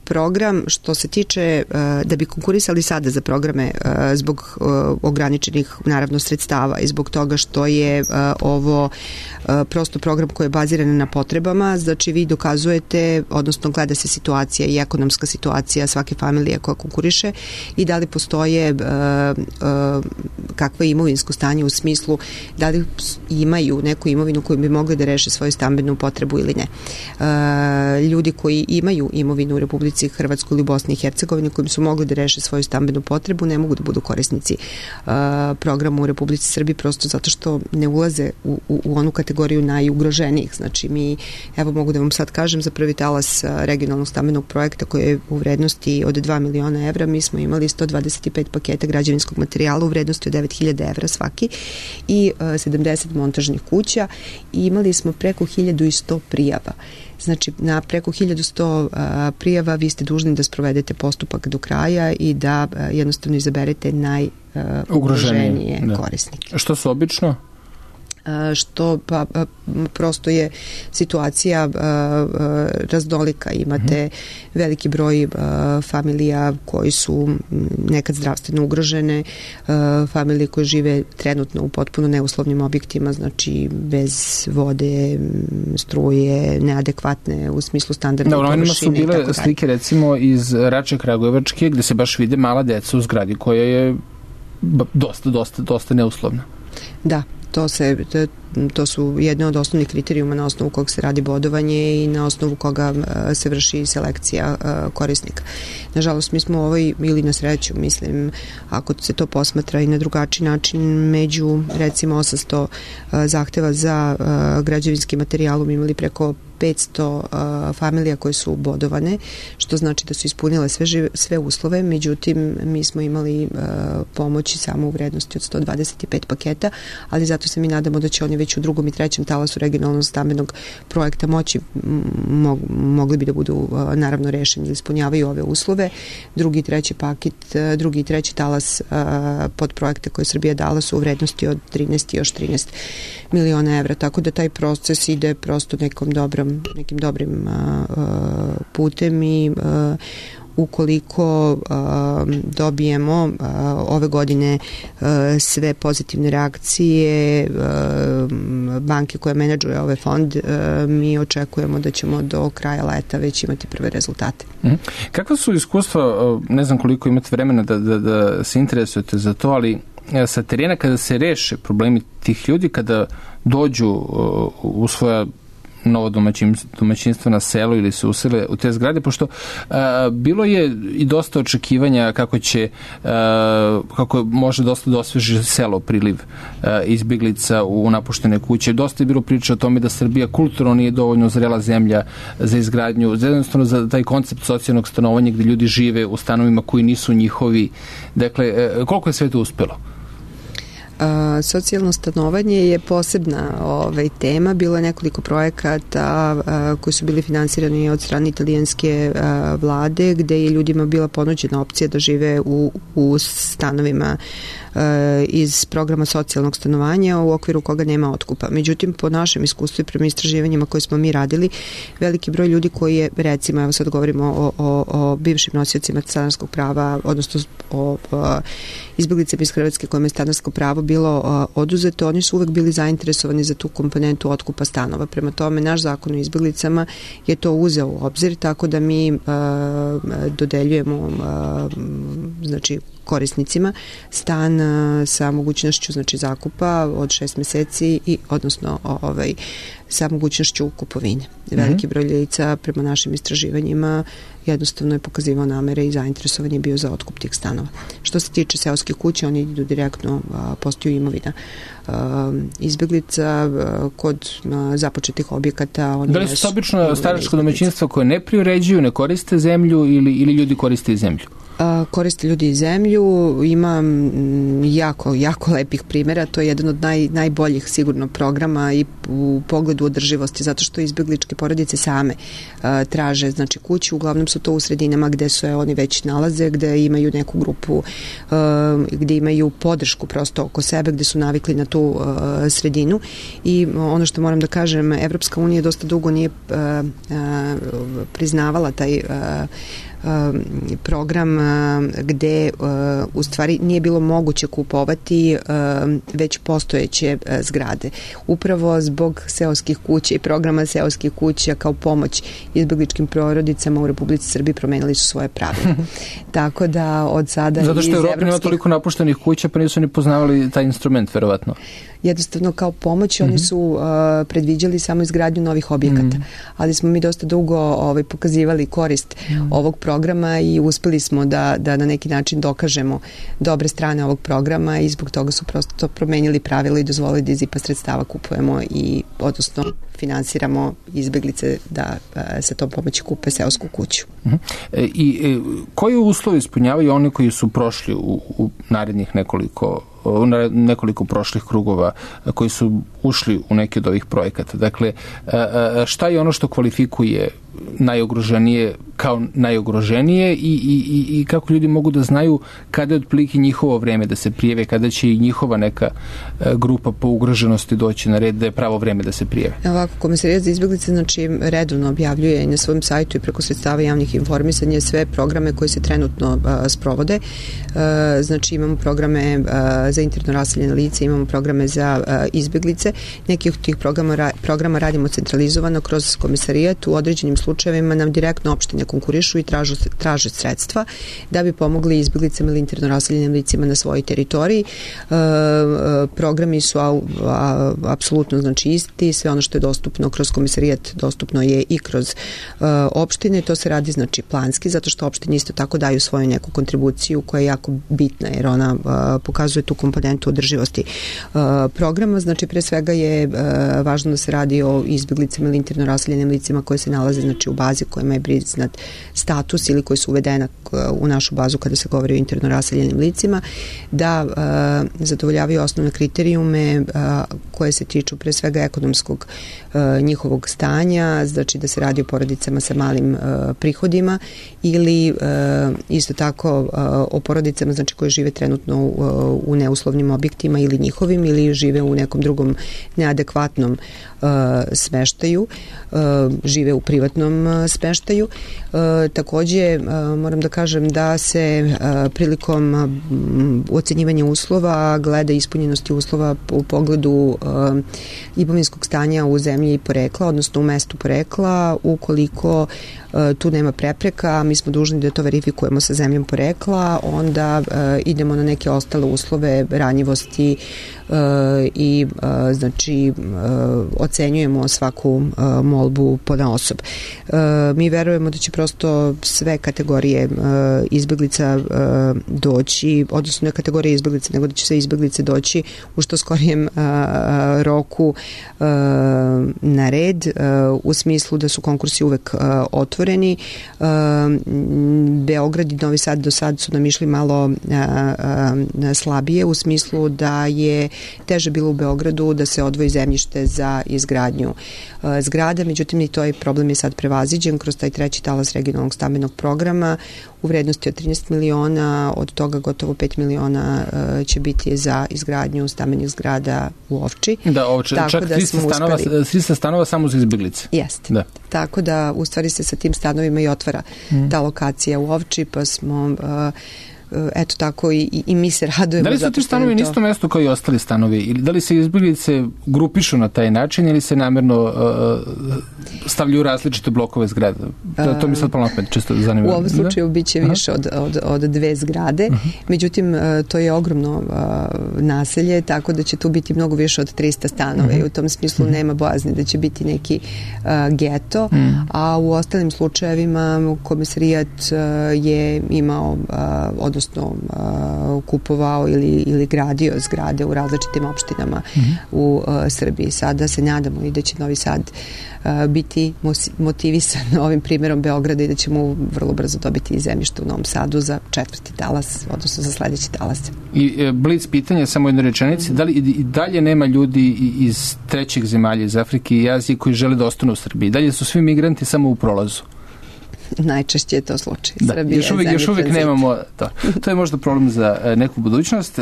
program što se tiče da bi konkurisali sada za programe zbog ograničenih naravno sredstava i zbog toga što je ovo prosto program koji je baziran na potrebama, znači vi dokazujete, odnosno gleda se situacija i ekonomska situacija svake familije koja konkuriše i da li postoje kakvo je imovinsko stanje u smislu da li imaju neku imovinu koju bi mogli da reše svoju stambenu potrebu ili ne. Ljudi koji imaju imovinu u Republici Hrvatskoj ili Bosni i Hercegovini kojim su mogli da reše svoju stambenu potrebu ne mogu da budu korisnici programa u Republici Srbiji prosto zato što ne ulaze u onu kategoriju najugroženijih. Znači mi, evo mogu da vam sad kažem za prvi talas regionalnog stambenog projekta koji je u vrednosti od 2 miliona evra, mi smo imali 125 paketa građevinskog materijala u vrednosti od 9.000 evra svaki i 70 montažnih kuća i imali smo preko 1100 prijava. Znači, na preko 1100 prijava vi ste dužni da sprovedete postupak do kraja i da jednostavno izaberete najugroženije korisnike. Što su obično? Što prosto je situacija raznolika. Imate veliki broj familija koji su nekad zdravstveno ugrožene, familije koje žive trenutno u potpuno neuslovnim objektima, znači bez vode, struje, neadekvatne u smislu standardne površine. Su bile slike recimo iz Rače Kragujevačke gde se baš vide mala deca u zgradi koja je dosta neuslovna. Da. To su jedne od osnovnih kriterijuma na osnovu kog se radi bodovanje i na osnovu koga se vrši selekcija korisnika. Nažalost, mi smo ili na sreću, mislim, ako se to posmatra i na drugačiji način, među recimo 800 zahteva za građevinski materijalom imali preko 500 familija koje su bodovane, što znači da su ispunile sve uslove, međutim mi smo imali pomoći samo u vrednosti od 125 paketa, ali zato se mi nadamo da će oni već u drugom i trećem talasu regionalnog stambenog projekta mogli bi da budu naravno rešeni ili ispunjavaju ove uslove. Drugi i treći talas pod projekte koje Srbija dala su u vrednosti od 13 i još 13 miliona evra, tako da taj proces ide prosto nekim dobrim putem i ukoliko dobijemo ove godine sve pozitivne reakcije banke koja menadžuje ovaj fond, mi očekujemo da ćemo do kraja leta već imati prve rezultate. Kakva su iskustva, ne znam koliko imate vremena da se interesujete za to, ali sa terena kada se reše problemi tih ljudi, kada dođu u svoja novo domaćinstvo na selu ili se usele u te zgrade, pošto bilo je i dosta očekivanja kako može dosta da osveži selo priliv izbjeglica u napuštene kuće. Dosta je bilo priča o tome da Srbija kulturno nije dovoljno zrela zemlja za izgradnju, jednostavno za taj koncept socijalnog stanovanja gde ljudi žive u stanovima koji nisu njihovi. Dakle, koliko je sve to uspelo? Socijalno stanovanje je posebna tema. Bilo je nekoliko projekata koji su bili finansirani od strane italijanske vlade gde je ljudima bila ponuđena opcija da žive u stanovima iz programa socijalnog stanovanja u okviru koga nema otkupa. Međutim, po našem iskustvu i prema istraživanjima koje smo mi radili, veliki broj ljudi koji je, recimo, evo sad govorimo o bivšim nosiocima stanarskog prava, odnosno o izbjeglicama iz Hrvatske kojima je stanarsko pravo bilo oduzeto, oni su uvek bili zainteresovani za tu komponentu otkupa stanova. Prema tome, naš zakon o izbjeglicama je to uzeo u obzir, tako da mi dodeljujemo znači korisnicima stan sa mogućnošću zakupa od 6 meseci i odnosno sa mogućnošću kupovine. Veliki broj lica prema našim istraživanjima jednostavno je pokazivao namere i zainteresovan je bio za otkup tih stanova. Što se tiče seoskih kuća, oni idu direktno, postaju imovina izbjeglica kod započetih objekata. Da li su obično staračko domaćinstvo koje ne priuređuju, ne koriste zemlju ili ljudi koriste zemlju? Koriste ljudi i zemlju, ima jako lepih primjera, to je jedan od najboljih sigurno programa i u pogledu održivosti, zato što izbegličke porodice same traže znači kuću, uglavnom su to u sredinama gde se oni već nalaze, gde imaju neku grupu, gde imaju podršku prosto oko sebe, gde su navikli na tu sredinu i ono što moram da kažem, Evropska unija dosta dugo nije priznavala taj program gde u stvari nije bilo moguće kupovati već postojeće zgrade. Upravo zbog seoskih kuća i programa seoskih kuća kao pomoć izbegličkim porodicama u Republici Srbiji promenili su svoje pravila. Tako da od sada zato što Evropa nema toliko napuštenih kuća pa nisu ni poznavali taj instrument verovatno. Jednostavno kao pomoć oni su predviđali samo izgradnju novih objekata, ali smo mi dosta dugo pokazivali korist ovog programa i uspeli smo da na neki način dokažemo dobre strane ovog programa i zbog toga su prosto promenili pravila i dozvolili da iz IPA sredstava kupujemo i odnosno finansiramo izbeglice da sa tom pomoći kupe seosku kuću. I koji uslovi ispunjavaju oni koji su prošli u narednih nekoliko prošlih krugova koji su ušli u neki od ovih projekata? Dakle, šta je ono što kvalifikuje najugroženije kao najugroženije i kako ljudi mogu da znaju kada je otprilike njihovo vreme da se prijave, kada će i njihova neka grupa po ugroženosti doći na red, da je pravo vreme da se prijave? Ovako, Komesarijat za izbeglice znači redovno objavljuje na svom sajtu i preko sredstava javnih informisanja sve programe koje se trenutno sprovode. Znači imamo programe za interno raseljene lice, imamo programe za izbeglice. Neki od tih programa radimo centralizovano kroz Komesarijat. U određenim slučajevima nam direktno opštine konkurišu i traže sredstva da bi pomogli izbeglicama ili interno raseljenim licima na svojoj teritoriji. Programi su apsolutno znači isti, sve ono što je dostupno kroz Komesarijat dostupno je i kroz opštine. To se radi znači planski, zato što opštine isto tako daju svoju neku kontribuciju koja je jako bitna jer ona pokazuje tu komponentu održivosti programa. Znači pre svega je važno da se radi o izbeglicama ili interno raseljenim licima koje se nalaze znači u bazi kojima je priznat status ili koji su uvedena u našu bazu kada se govori o interno raseljenim licima, da zadovoljavaju osnovne kriterijume koje se tiču pre svega ekonomskog njihovog stanja, znači da se radi o porodicama sa malim prihodima ili isto tako o porodicama znači koje žive trenutno u neuslovnim objektima ili njihovim ili žive u nekom drugom neadekvatnom smeštaju, žive u privatnom smeštaju. Takođe moram da kažem da se prilikom ocenjivanja uslova gleda ispunjenosti uslova u pogledu imovinskog stanja u zemlji i porekla, odnosno u mestu porekla. Ukoliko tu nema prepreka, mi smo dužni da to verifikujemo sa zemljom porekla, onda idemo na neke ostale uslove ranjivosti i znači ocenjujemo svaku molbu ponaosob. Mi verujemo da će prosto sve kategorije izbeglica doći, odnosno ne kategorije izbeglica, nego da će sve izbeglice doći u što skorijem roku na red, u smislu da su konkursi uvek otvoreni. Beograd i Novi Sad do sad su nam išli malo slabije, u smislu da je teže bilo u Beogradu da se odvoji zemljište za izgradnju zgrada, međutim i to je problem je sad prevaziđen kroz taj treći talas regionalnog stambenog programa u vrednosti od 13 miliona, od toga gotovo 5 miliona će biti za izgradnju stambenih zgrada u Ovči. Da, Ovči, čak 300 stanova samo za izbeglice. Jeste. Da. Tako da u stvari se sa tim stanovima i otvara ta lokacija u Ovči, pa smo eto tako i mi se radujemo. Da li su ti stanovi na isto mesto kao i ostali stanovi? Ili da li se izbeglice grupišu na taj način ili se namerno stavljaju različite blokove zgrade? To mi sad polno čisto zanimljivo. U ovom slučaju biće više od dve zgrade. Međutim, to je ogromno naselje, tako da će tu biti mnogo više od 300 stanova i u tom smislu nema bojazni da će biti neki geto, a u ostalim slučajevima Komesarijat je imao, odnosno odnosno kupovao ili gradio zgrade u različitim opštinama u Srbiji. Sada se nadamo i da će Novi Sad biti motivisan ovim primjerom Beograda i da ćemo vrlo brzo dobiti zemljište u Novom Sadu za 4. talas, odnosno za sledeći talas. I blic pitanja, samo jednu rečenici, da li i dalje nema ljudi iz trećih zemalja, iz Afrike i Azije koji žele da ostanu u Srbiji? Dalje su svi migranti samo u prolazu? Najčešće je to slučaj. Da, još uvijek nemamo to. To je možda problem za neku budućnost.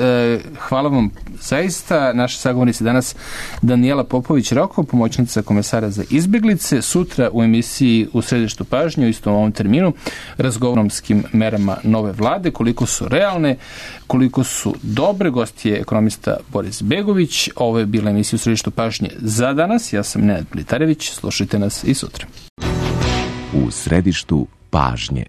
Hvala vam zaista. Naša sagovornica danas Danijela Popović-Roko, pomoćnica komesara za izbjeglice. Sutra u emisiji U središtu pažnje, u istom ovom terminu, razgovoromskim merama nove vlade, koliko su realne, koliko su dobre. Gost je ekonomista Boris Begović. Ovo je bila emisija U središtu pažnje za danas. Ja sam Nenad Blitarević. Slušajte nas i sutra. U središtu pažnje.